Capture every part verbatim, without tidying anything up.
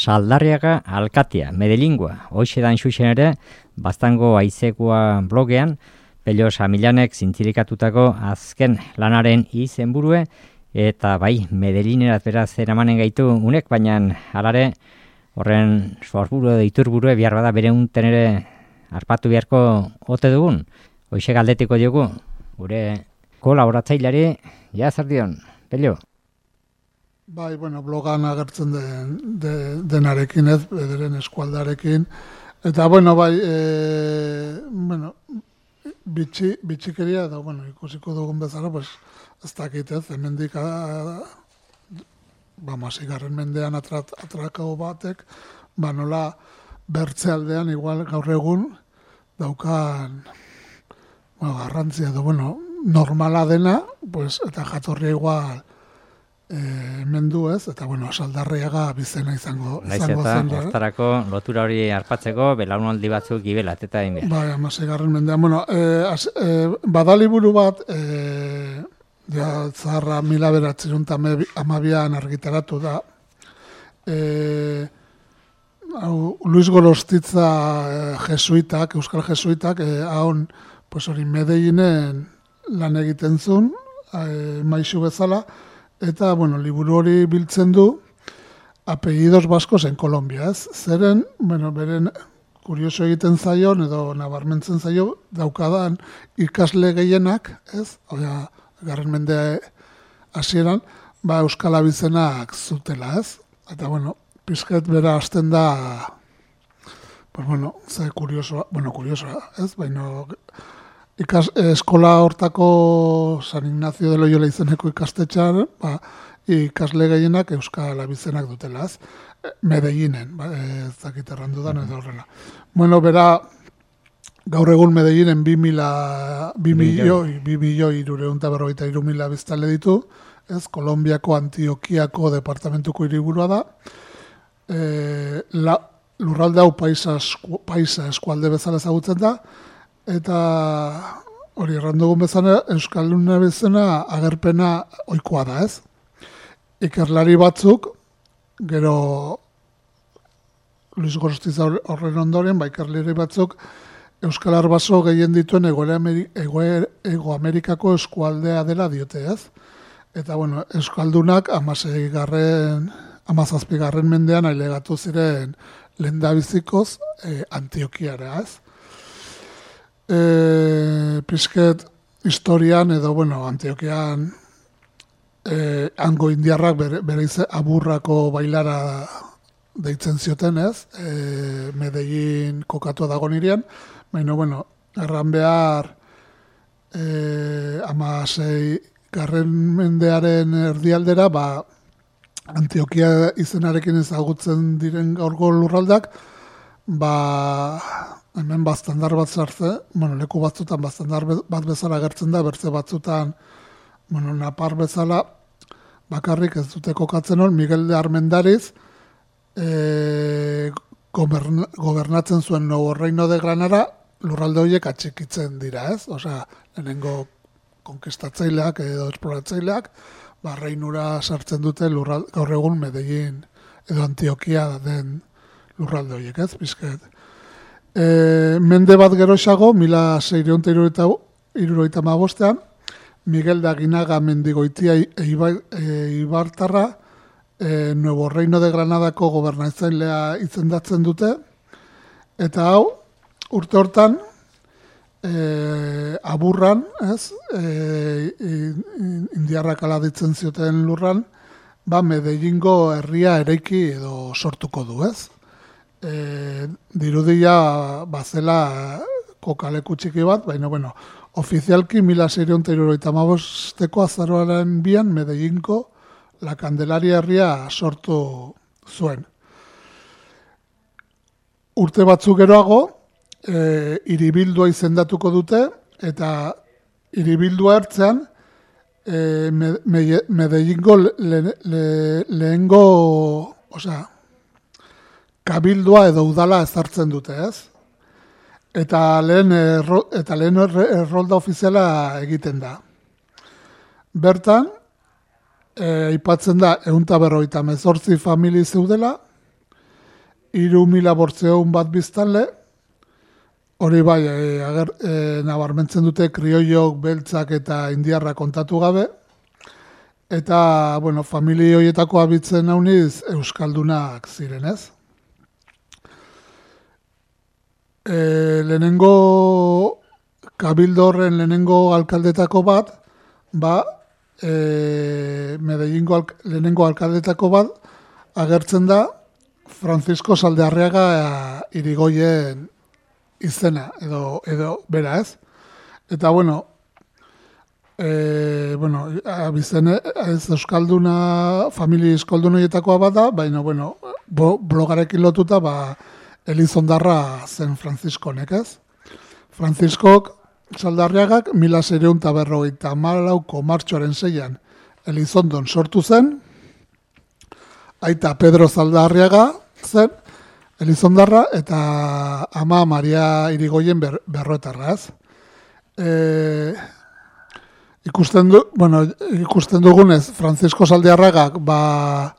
Saldarriaga alkatea, Medellingua, hoxe dan xuxen ere, Baztango Aizekoa blogean, Pello Samilanek zintzilikatutako azken lanaren izenburue, eta bai, Medellinerat beraz eramanen gaitu unek, baina alare horren sorburu edo iturburue bihar bada bere unten ere arpatu beharko ote dugun. Hoxe galdetiko diogu, gure kolaboratzailari, ja zer dion, Pello? Bai, bueno, blogan agertzen den, de, denarekin ez, bederen eskualdarekin. Eta, bueno, bai, e, bueno, bitxi, bitxikeria, eta, bueno, ikusiko dugun bezala, pues, ez dakit ez, hemendik, ba, masigarren mendean atrat, atrakau batek, ba, nola bertze aldean, igual gaur egun, daukan, bueno, garrantzia edo, bueno, normala dena, pues, eta jatorria igual, E, mendu ez, eta bueno, Saldarriaga bizena izango, izango zen. Naiz eta hortarako lotura hori arpatzeko belaunaldi batzuk gibelat eta egin. Bai, hamaseigarren mendean. Bueno, e, az, e, badaliburu bat, e, ja, zaharra mila bederatziehun eta hamabian argitaratu da. E, hau, Luis Gorostitza e, jesuitak, euskal jesuitak, e, haun, pues hori Medellinen lan egiten zuen, e, maisu bezala, eta, bueno, liburu hori biltzen du apellidos baskos en Colombia, ez? Zeren, bueno, beren kurioso egiten zaion, edo nabarmentzen zaio, daukadan ikasle gehienak, ez? Oia, garren mendea hasieran, ba, euskal abizenak zutela, ez? Eta, bueno, pizket bera hasten da, pues, bueno, ze kuriosoa, bueno, kuriosoa, ez? Baina, Ikas, eskola hortako San Ignacio de Loyola izeneko ikastetxean, ba, ikasle gehienak euskal abizenak dutelaz, Medellinen, ba, ez dakit errandu da, edo horrela. Bueno, bera, gaur egun Medellinen bi mila, bi milioi, bi milioi irureun eta berrogeita iru mila biztanle ditu, ez, Kolombiako Antiokiako departamentuko hiriburua da, e, la, lurralde hau paisa, paisa eskualde bezala ezagutzen da, eta hori errandugun bezala, Euskalduna bezala agerpena ohikoa da, ez? Ikerlari batzuk, gero Luis Gorostitza horren ondoren, ba, ikerlari batzuk Euskal Arbaso gehien dituen Ego, Ego, Ego Amerikako eskualdea dela diote, ez? Eta, bueno, Euskaldunak amaseigarren, amazazpigarren mendean ailegatu ziren lehendabizikoz eh, Antiokiara, ez? E, pizket historian edo, bueno, Antiokian e, hango indiarrak bere, bere ize, aburrako bailara deitzen zioten, ez? E, Medellin kokatu dago nirian, baina, bueno, erran behar e, amasei garren mendearen erdialdera, ba, Antiokia izenarekin ezagutzen diren gaurko lurraldak, ba, hemen baztandar bat zartze, bueno, leku batzutan baztandar bat bezala gertzen da, bertze batzutan, bueno, Napar bezala, bakarrik ez dute kokatzen hon, Miguel de Armendariz, e, goberna, gobernatzen zuen Nuevo Reino de Granada, lurralde horiek atxikitzen dira, ez? Osea, lehenengo konkistatzaileak edo esploratzaileak, ba, reinura sartzen dute lurralde, gaur egun Medellin edo Antiokia den lurralde horiek, ez? Bizket. E, mende bat geroxago, mila seiehun eta hirurogeita hamabostean, Miguel de Aginaga mendigoitia Ibartarra e, Nuevo Reino de Granadako gobernatzailea izendatzen dute, eta hau, urte hortan, e, aburran, ez, e, indiarrak aladitzen zioten lurran, ba, Medellingo herria eraiki edo sortuko du, ez? E, dirudia bazela kokaleku txiki bat, baina, bueno, ofizialki mila seiehun eta hirurogeita hamabosteko azaroaren bian Medellinko La Candelaria herria sortu zuen. Urte batzuk geroago, e, hiribildua izendatuko dute, eta hiribildua ertzean, e, me, me, Medellingo le, le, lehengo, osea, kabildua edo udala ezartzen dute, ez? Eta lehen, erro, eta lehen errolda ofiziala egiten da. Bertan, aipatzen da ehun eta berrogeita hemezortzi famili zeudela, hiru mila bortzeun bat biztanle, hori bai, e, ager, e, nabarmentzen dute krioiok, beltzak eta indiarra kontatu gabe, eta, bueno, familia horietako abitzen hauniz euskaldunak zirenez. E, lehenengo kabildo horren lehenengo alkaldetako bat, ba, e, Medellingo alk, lehenengo alkaldetako bat, agertzen da Francisco Saldearriaga Irigoyen izena, edo, edo bera ez. Eta, bueno, e, bueno, abizene, ez euskalduna, familia euskaldunoietakoa bada, baina, bueno, blogarekin lotuta, ba, Elizondarra zen Franziskonek, ez? Franziskok Saldarriagak mila seiehun eta berrogeita hamalauko martxoaren seian Elizondon sortu zen, aita Pedro Saldarriaga zen Elizondarra eta ama Maria Irigoyen ber, berroetarra, ez? E, ikusten, du, bueno, ikusten dugunez, Francisco Saldarriagak ba,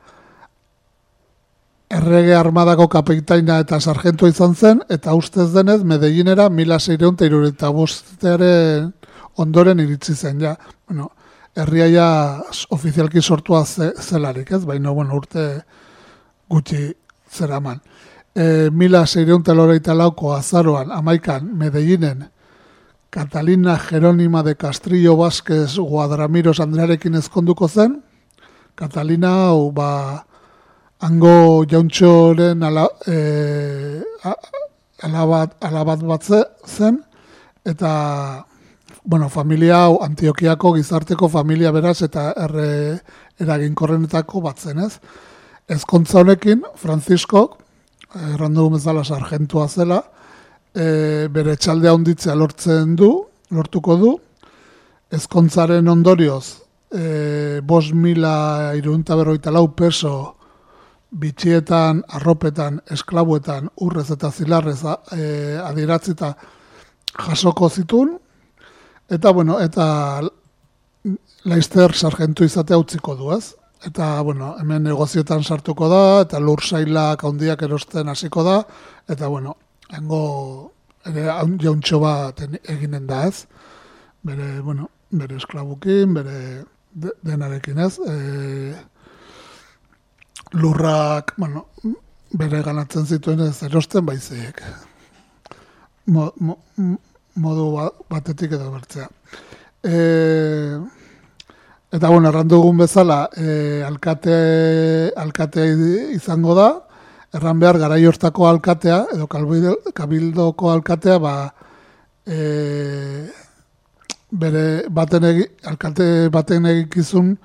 errege armadako kapitaina eta sargento izan zen, eta ustez denez, Medellinera mila seiehun eta hirurogeita bostearen ondoren iritsi zen, ja. Bueno, herriaia ofizialki sortua ze, zelarik, ez? Baina, bueno, urte gutxi zeraman. E, mila seiehun eta laurogeita lauko azaroan, amaikan, Medellinen, Catalina Jerónima de Castrillo Vázquez Guadramiros Andrearekin ezkonduko zen. Catalina, hau, ba, hango jauntxoren ala, e, alabat, alabat bat zen, eta, bueno, familia hau Antiokiako gizarteko familia beraz eta erre eraginkorrenetako bat zen, ez? Ezkontza honekin, Franziskok, errandu bezala sargentua zela, e, bere txaldea honditzea lortzen du, lortuko du, ezkontzaren ondorioz, e, bost mila hirurehun eta berrogeita lau peso bitxietan, arropetan, esklabuetan, urrez eta zilarrez e, adiratzita jasoko zitun, eta, bueno, eta Laister sargentu izatea utziko du, ez? Eta, bueno, hemen negozioetan sartuko da, eta lur sailak handiak erosten hasiko da, eta, bueno, hango ere jauntxo bat eginen da, ez? Bere, bueno, bere esklabukin, bere de, denarekin, ez? E, lurrak, bueno, bere ganatzen zituen ez erosten baizik. Mo, mo, modu batetik edo bertzea. E, eta, bueno, errandugun bezala, e, alkate, alkate izango da, erran behar garai hortako alkatea, edo kabildoko alkatea, ba, e, bere baten egi, alkate baten egikizun,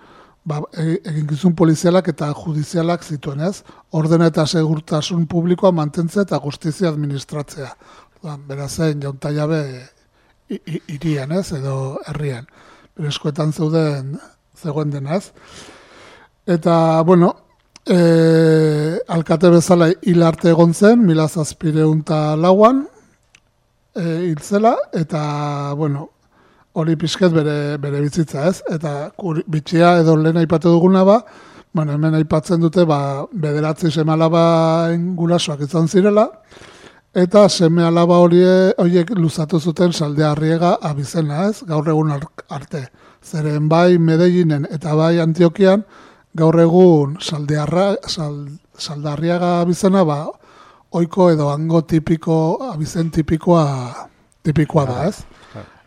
ba, eginkizun polizialak eta judizialak zituen, ez? Ordena eta segurtasun publikoa mantentzea eta justizia administratzea. Berazen, jaunta jabe irian, ez? Edo herrian. Bere eskuetan zeuden zegoen denaz. Eta, bueno, e, alkate bezala hil arte egon zen, mila zazpiehun eta lauan e, hil zela, eta, bueno, hori pixket bere, bere bizitza, ez? Eta kur, bitxia edo lehen aipatu duguna ba, bueno, hemen aipatzen dute, ba, bederatzi seme alaba gurasoak izan zirela, eta seme alaba horiek luzatu zuten Saldearriaga abizena, ez? Gaur egun arte. Zeren bai Medellinen eta bai Antiokian, gaur egun Saldearra, sal, Saldarriaga abizena, ba, oiko edo hango tipiko, abizen tipikoa, tipikoa da, ez?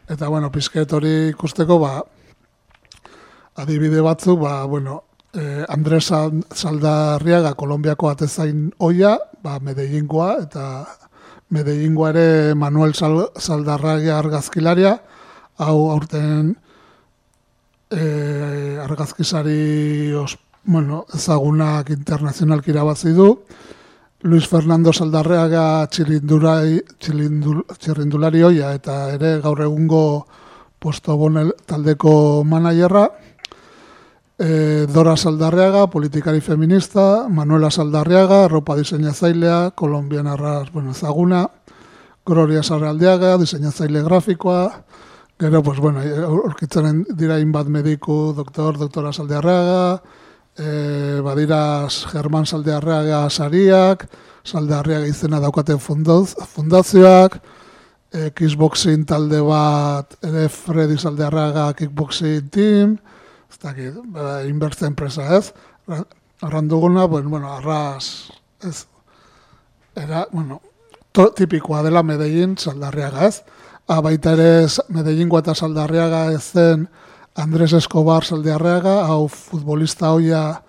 Eta, bueno, pizket hori ikusteko, ba, adibide batzuk, ba, bueno, eh, Andres Saldarriaga, Kolombiako atezain oia, ba, Medellingoa, eta Medellingoa ere Manuel Sal, Saldarriaga argazkilaria, hau aurten eh, argazkisari os, bueno, ezagunak internazionalki irabazi du, Luis Fernando Saldarriaga txirindulari, txirindulari oia eta ere gaur egungo Postobon taldeko managerra, e, Dora Saldarriaga, politikari feminista, Manuela Saldarriaga, ropa diseinatzailea, kolombianarra, bueno, ezaguna, Gloria Sarraldiaga, diseinatzaile grafikoa, gero, pues, bueno, aurkitzen dira inbat mediku, doktor, doktora Saldarriaga, E, badira Germán Saldarriaga sariak, Saldarriaga izena daukaten fundoz, fundazioak, e, kickboxing talde bat, ere Freddy Saldarriaga kickboxing team, ez dakit, inbertze enpresa ez, arranduguna, bueno, bueno, arras, ez, era, bueno, to, tipikoa dela Medellin Saldarriaga ez, ah, baita ere Medellingoa eta Saldarriaga ez zen Andres Escobar Saldarriaga, hau futbolista hoia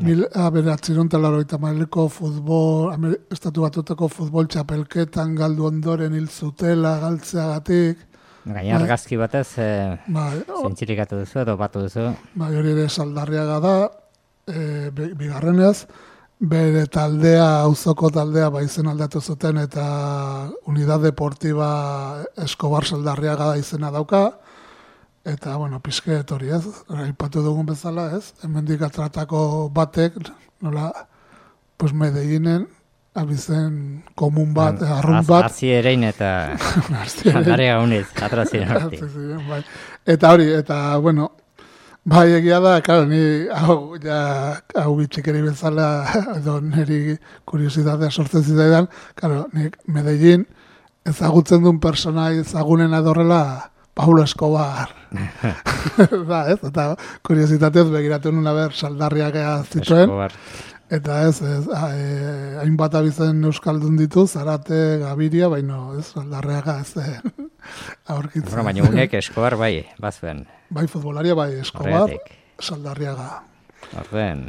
mil aberatzerun talaroita maileko futbol, Amer, estatu batutako futbol txapelketan galdu ondoren hil zutela galtzeagatik. Gaina argazki batez, e, bai, zentzirikatu duzu edo batu duzu. Bai, hori ere Saldarriaga da, e, bigarrenez, bere taldea, auzoko taldea, ba izen aldatu zuten eta Unidad Deportiva Escobar Saldarriaga da izena dauka, eta, bueno, pizket hori ez, aipatu dugun bezala ez, hemendik atratako batek, nola, pues Medellinen, abizen komun bat, An, arrun az, bat. Azi erein eta Saldarriaga uniz, atrazien horti. Bai. Eta hori, eta, bueno, bai egia da, claro, ni hau, ja, hau bitxikeri bezala, edo niri kuriositatea sortzen zitaidan, claro, nik Medellin ezagutzen duen persona ezagunen adorrela Paulo Escobar. Da, ez? Eta kuriositatez begiratu nuna ber Saldarriaga zituen. Escobar. Eta ez, ez e, hainbat abizen euskaldun ditu, Zarate, Gabiria, baino, ez, Saldarriaga ez zen aurkitzen. Bueno, baina unek Escobar bai, bazuen. Bai, futbolaria bai, Escobar, Horretik. Saldarriaga. Orden.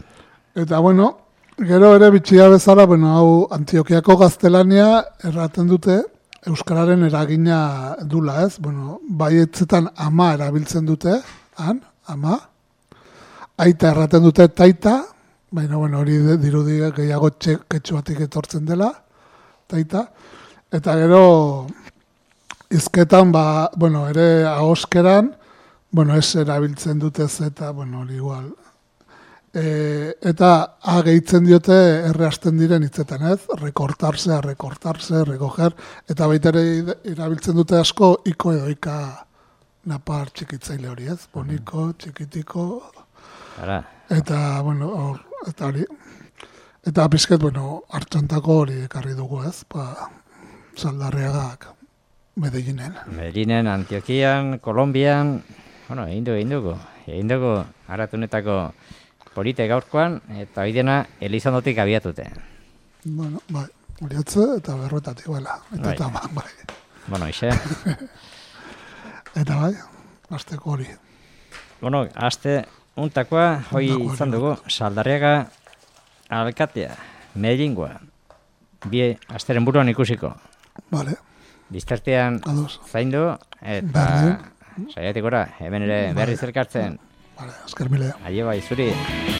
Eta, bueno, gero ere bitxia bezala, bueno, hau Antiokiako gaztelania erraten dute, euskararen eragina dula, ez? Bueno, baietzetan ama erabiltzen dute, han, ama. Aita erraten dute taita, baina, bueno, hori dirudi gehiago ketxuatik etortzen dela, taita. Eta gero, izketan, ba, bueno, ere ahoskeran, bueno, ez erabiltzen dute ez eta, bueno, hori igual. E, eta a gehitzen diote erre hasten diren hitzetan, ez? Rekortarse, rekortarse, recoger, eta baita ere erabiltzen dute asko iko edo ika napar txikitzaile hori, ez? Boniko, txikitiko, Ara. Eta, bueno, or, eta hori, eta pizket, bueno, hartxantako hori ekarri dugu, ez? Ba, Saldarriagak Medellinen. Medellinen, Antiokian, Kolombian, bueno, egin dugu, egin dugu, egin dugu aratunetako polite gaurkoan, eta hori dena Elizondotik abiatute. Bueno, bai, horiatze eta berroetatik, bela, eta bai. eta bai. bai. Bueno, ixe. Eta bai, azteko hori. Bueno, azte untakoa, hoi izan dugu, Saldarriaga alkatea, Medellingoa, bi asteren buruan ikusiko. Vale. Biztartean zaindu, eta saiatik gora, hemen ere berriz elkartzen. Vale, esker mile. Aio bai, zuri.